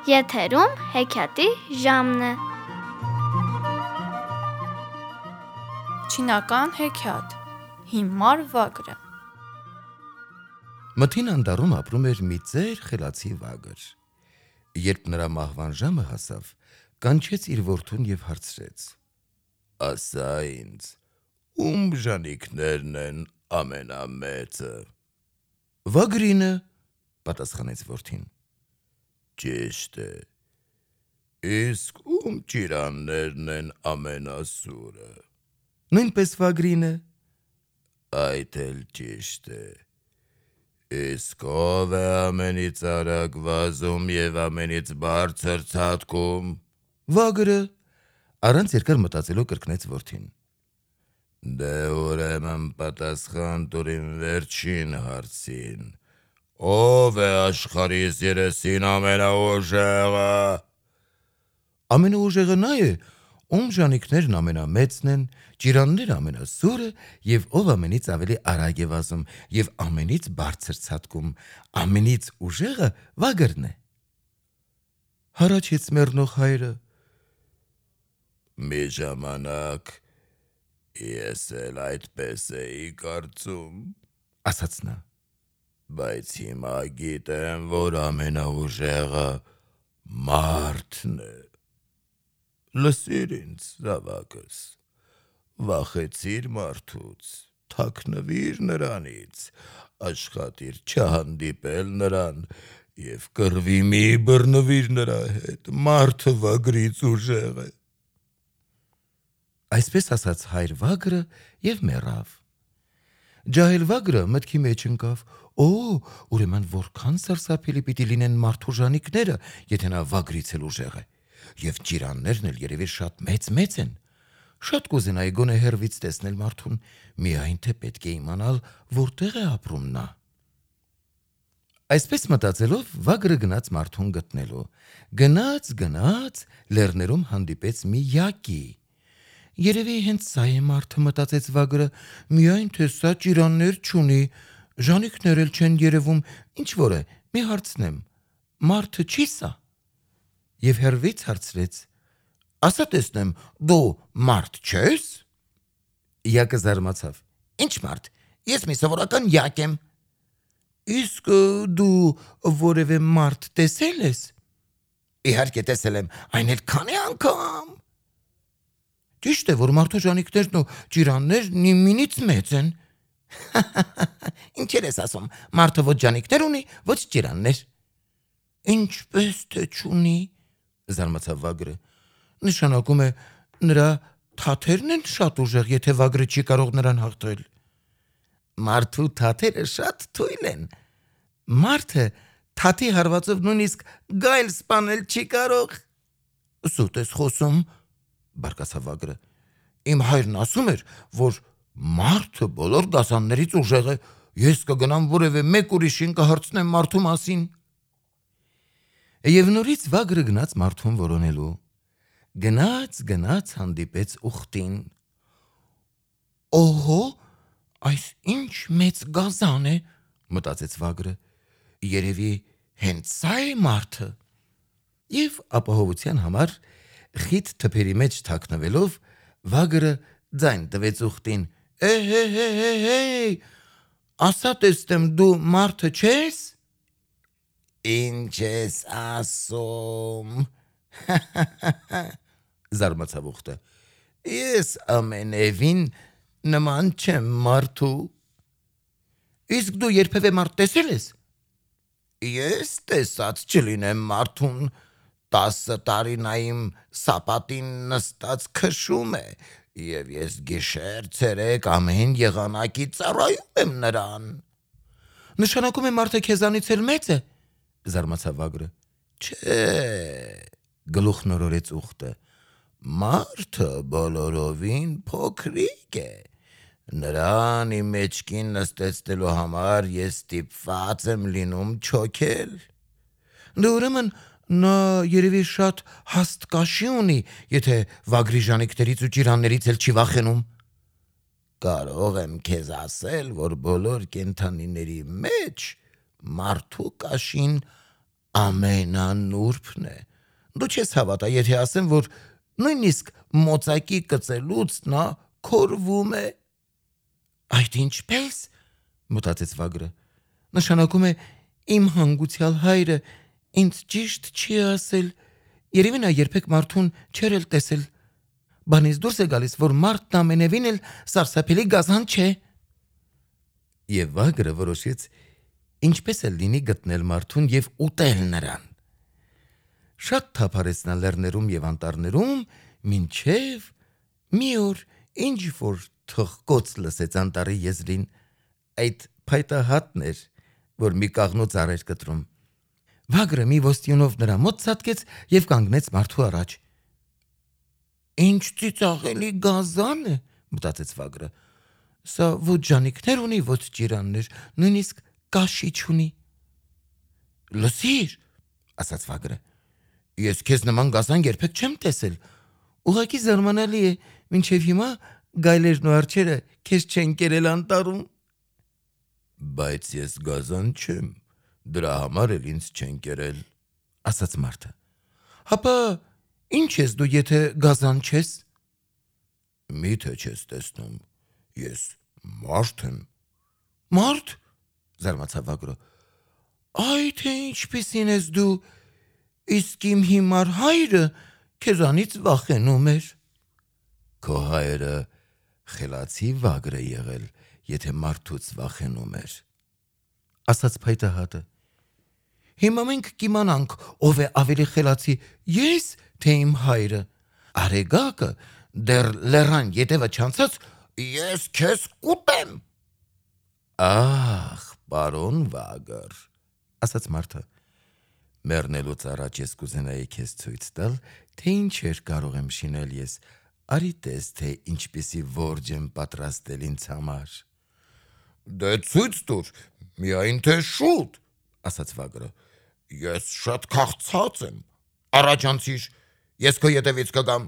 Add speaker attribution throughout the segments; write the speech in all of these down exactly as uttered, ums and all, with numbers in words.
Speaker 1: Եթերում հեքիաթի ժամն է։
Speaker 2: Չինական հեքիաթ Հիմար վագրը։
Speaker 3: Մթին անտառում ապրում էր մի ծեր խելացի վագր։ Երբ նրա մահվան ժամը հասավ, կանչեց իր որդուն և հարցրեց. «Ասա ինձ, ում բաժանիկներն են ամենամեծը»։ «Վագրինը», պատասխանեց որդին։ «Ճիշտ է, իսկ ում ճիրաններն են ամենասուրը»։ «Նույնպես վագրինը»։ «Այդ էլ ճիշտ է, իսկ ով է ամենից արագ վազում և ամենից բարձր ցատկում»։ «Վագրը», առանց երկար մտածելու կրկնեց որդին։ «Դե ուրեմն պատասխան տուր իմ վերջին հարցին. ով է աշխարհիս երեսին ամենաուժեղը»։ «Ամենաուժեղը նա է, ում բաժանիկներն ամենամեծն են, ճիրանները ամենասուրը և ով ամենից ավելի արագ է վազում և ամենից բարձր ցատկում, ամենից ուժեղը վագրն է»։ Հառաչեց մեռնող հայրը։ «Մի ժամանակ ես էլ այդպես էի կարծում», ասաց նա, «բայց հիմա գիտեմ, որ ամենաուժեղը մարդն է։ Լսիր ինձ, զավակս, վախեցիր մարդուց, թաքնվիր նրանից, աշխատիր չհանդիպել նրան և կռվի մի բռնվիր նրա հետ, մարդը վագրից ուժեղ է»։ Այսպես ասաց հայր վագրը և մեռավ։ Ջահել վագրը մտքի մեջ ընկավ. «Օ, ուրեմն որքան սարսափելի պիտի լինեն մարդու բաժանիկները, եթե նա վագրից էլ ուժեղ է, և ճիրաններն էլ երևի շատ մեծ-մեծ են։ Շատ կուզենայի գոնե հեռվից տեսնել մարդուն, միայն թե պետք է իմանալ որտեղ է ապրում նա»։ Այսպես մտածելով վագրը գնաց մարդուն գտնելու։ Գնաց, գնաց, լեռներում հանդիպեց մի յակի։ «Երևի հենց սա է մարդը», մտածեց վագրը, «միայն թե սա ճիրաններ չունի, բաժանիկներ էլ չեն երևում, ինչ-որ է, մի հարցնեմ, մարդը չի՞ սա»։ Եվ հեռվից հարցրեց. «Ասա տեսնեմ, դու մարդ չե՞ս»։ Յակը զարմացավ. «Ի՞նչ մարդ, ես մի սովորական յակ եմ»։ «Իսկ դու որևէ մարդ տեսե՞լ ես»։ «Իհարկե տեսել եմ, այն էլ քանի՞ անգամ»։ «Ճիշտ է, որ մարդու բաժանիկներն ու ճիրաններն իմինից մեծ են»։ «Ինչեր ես ասում, մարդը ոչ բաժանիկներ ունի, ոչ ճիրաններ»։ «Ինչպես թե չունի», զարմացավ վագրը, «նշանակում է նրա թաթերն են շատ ուժեղ, եթե վագրը չի կարող նրան հաղթել»։ «Մարդու թաթերը շատ թույլ են, մարդը թաթի հարվածով նույնիսկ գայլ սպանել չի կարող»։ «Սուտ ես խոսում», բարկացավ վագրը, «իմ հայրն ասում էր, որ մարդը բոլոր դասաններից ուժեղ է, ես կգնամ որևէ մեկ ուրիշին կհարցնեմ մարդու մասին»։ Եվ նորից վագրը գնաց մարդուն որոնելու։ Գնաց, գնաց, հանդիպեց ուղտին։ «Օհո, այս ինչ մեծ գազան է», մտածեց վագրը, «երևի հենց սա է մարդը»։ Եվ ապահովության համար խիտ թփերի մեջ թաքնվելով վագրը ձայն տվեց ուղտին. «Է-հե-հե-հե, ասա տեսնեմ, դու մարդը չե՞ս»։ «Ինչ ես ասում», զարմացավ ուղտը, «ես ամենևին նման չեմ մարդու»։ «Իսկ դու երբևէ մարդ տեսե՞լ ես»։ «Ես տեսած չլինեմ մարդուն, տասը տարի նա իմ սապատին նստած քշում է, և ես գիշեր-ցերեկ ամեն եղանակի ծառայում եմ նրան»։ «Նշանակում է մարդը քեզանից էլ մեծ է», զարմացավ վագրը։ «Չէ», գլուխ նորորեց ուղտը, «մարդը բոլորովին փոքրիկ է, նրան իմ մեջքին նստեցնելու համար ես ստիպված եմ լինում չոքել»։ «Դե ուրեմն նա երևի շատ հաստ կաշի ունի, եթե վագրի բաժանիկներից ու ճիրաններից էլ չի վախենում»։ «Կարող եմ քեզ ասել, որ բոլոր կենդանիների մեջ մարդու կաշին ամենանուրբն է։ Դու չես հավատա, եթե ասեմ, որ նույնիսկ մոծակի կծելուց նա քորվում է։ Այդ ինչպես, մտածեց Վագրը, նշանակում է իմ հանգուցյալ հայրը ինձ ճիշտ չի ասել, երևի նա երբեք մարդուն չէր էլ տեսել, բանից դուրս է գալիս, որ մարդն ամենևին էլ սարսափելի գազան չէ։ Եվ Վագրը որոշեց ինչպես էլ լինի գտնել մարդուն և ուտել նրան։ Շատ թափարեց նա լեռներում և անտառներում, մինչև մի օր ինչ-որ թխկոց լսեց անտառի եզրին, այդ փայտահատն էր, որ մի կաղնու ծառ էր կտրում։ Վագրը մի ոստիոնով նրա մոտ ցատկեց և կանգնեց մարդու առաջ։ Ինչ ծիծաղելի գազան է, մտածեց Վագրը, սա ոչ ժանիքներ ունի, ոչ ճիրաններ, նույնիսկ կաշի չունի։ Լսիր, ասաց Վագրը, ես քեզ նման գազան երբեք չեմ տեսել, ուղղակի զարմանալի է, մինչև հիմա գայլերն ու արջերը քեզ չեն կերել անտառում։ Բայց ես գազան չեմ, դրա համար էլ ինձ չեն կերել, ասաց մարդը։ Հապա ինչ ես դու, եթե գազան չես։ Միթե չես տեսնում, ես մարդ եմ։ Մարդ, զարմացավ Վագրը, այ թե ինչպիսին ես դու, իսկ իմ հիմար հայրը քեզանից վախենում էր։ Քո հայրը խելացի Վագր է եղել, եթե մարդուց վախենում էր, ասաց փայտահատը։ Հիմա մենք կիմանանք, ով է ավելի խելացի, ես թե իմ հայրը։ Արեգակը դեռ լեռան ետևը չանցած, ես քեզ կուտեմ։ Ախ, պարոն Վագր, ասաց մարդը, մեռնելուց առաջ ես կուզենայի քեզ ցույց տալ, թե ինչեր կարող եմ շինել ես, արի տես, թե ինչպիսի որջ եմ պատրաստել ինձ համար։ Դե ցույց տուր, միայն թե շուտ, ասաց Վագրը, ես շատ քաղցած եմ, առաջանցիր, ես քո ետևից կգամ։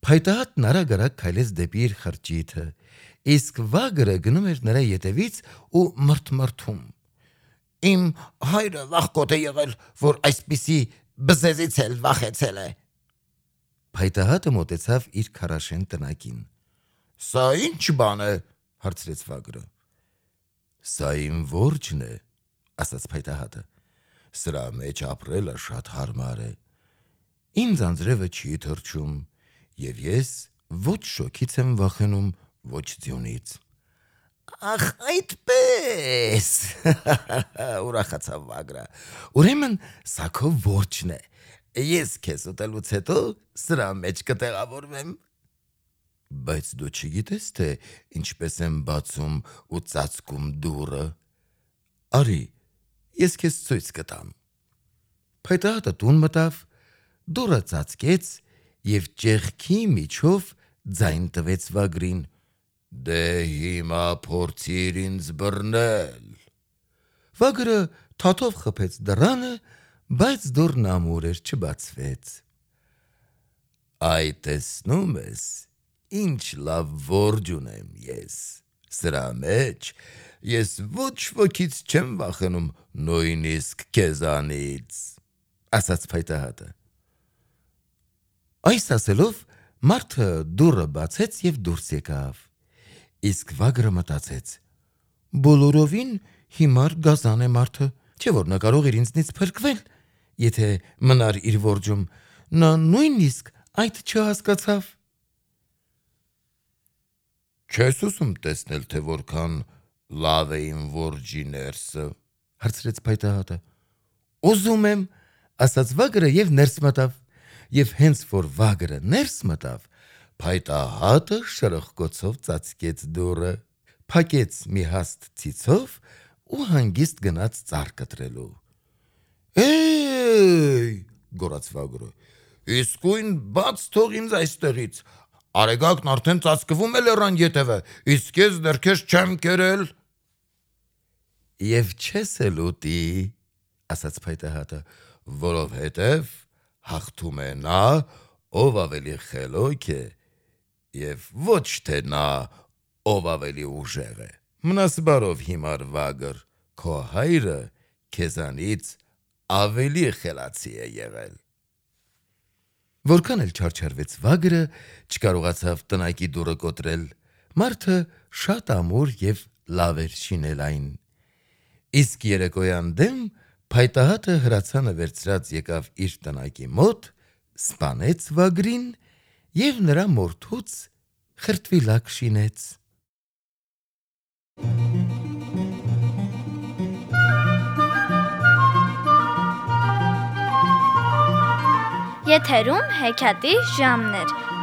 Speaker 3: Փայտահատն արագ-արագ քայլեց դեպի իր խրճիթը, իսկ Վագրը գնում էր նրա ետևից ու մրթմրթում։ Իմ հայրը վախկոտ է եղել, որ այսպիսի բզեզից էլ վախեցել է։ Փայտահատը մոտեցավ իր քարաշեն տնակին։ Սա ինչ բան է, հարցրեց Վագրը։ Սա իմ որջն է, ասաց փայտահատը։ Սրա մեջ ապրելը շատ հարմար է։ Ինձ անձրևը չի թռչում, և ես ոչ շոգից եմ վախենում, ոչ ձյունից։ Ախ, այդպես, ուրախացավ Վագրը, ուրեմն սա քո որջն է, ես քեզ ուտելուց հետո սրա մեջ կտեղավորվեմ։ Բայց դու չգիտես, թե ինչպես եմ բացում ու ծածկում դուռը։ Արի, ես քեզ ցույց կտամ։ Փայտահատը տուն մտավ, դուռը ծածկեց և ճեղքի միջով ձայն տվեց Վագրին։ Դե հիմա փորձիր ինձ բռնել։ Վագրը թաթով խփեց դռանը, բայց դուռն ամուր էր, չբացվեց։ Այ տեսնում ես, ինչ լավ որջ ունեմ ես, սրա մեջ ես ոչ ոքից չեմ վախենում, նույնիսկ քեզանից, ասաց փայտահատը։ Այս ասելով մարդը դուռը բացեց և դուրս եկավ, իսկ Վագրը մտածեց. բոլորովին հիմար գազան է մարդը, չէ՞ որ նա կարող էր ինձնից փրկվել, եթե մնար իր որջում, նա նույնիսկ այդ չհասկացավ։ Չես ուզում տեսնել, թե որքան լավ է իմ որջի ներսը, հարցրեց փայտահատը։ Ուզում եմ, ասաց Վագրը և ներս մտավ, և հենց որ Վագրը ներս մտավ, փայտահատը շրխկոցով ծածկեց դուռը, փակեց մի հաստ ցիցով ու հանգիստ գնաց ծառ կտրելու։ Էй, գոռաց Վագրը, իսկույն բաց թող ինձ այստեղից, Արեգակն արդեն ծածկվում է լեռան ետևը, իսկ ես դեռ քեզ չեմ կերել։ Եվ չես էլ ուտի, ասաց փայտահատը, որովհետև հաղթում է նա, ով ավելի խելոք է, և ոչ թե նա, ով ավելի ուժեղ է։ Մնաս բարով հիմար Վագր, քո հայրը քեզանից ավելի խելացի է եղել։ Որքան էլ չարչարվեց վագրը, չկարողացավ տնակի դուռը կոտրել, մարդը շատ ամուր և լավ էր շինել այն։ Իսկ երեկոյան դեմ փայտահատը հրացանը վերցրած եկավ իր տնակի մոտ, սպանեց վագրին և նրա մորթուց խրտվիլակ շինեց։
Speaker 1: Եթերում հեքիաթի ժամն էր։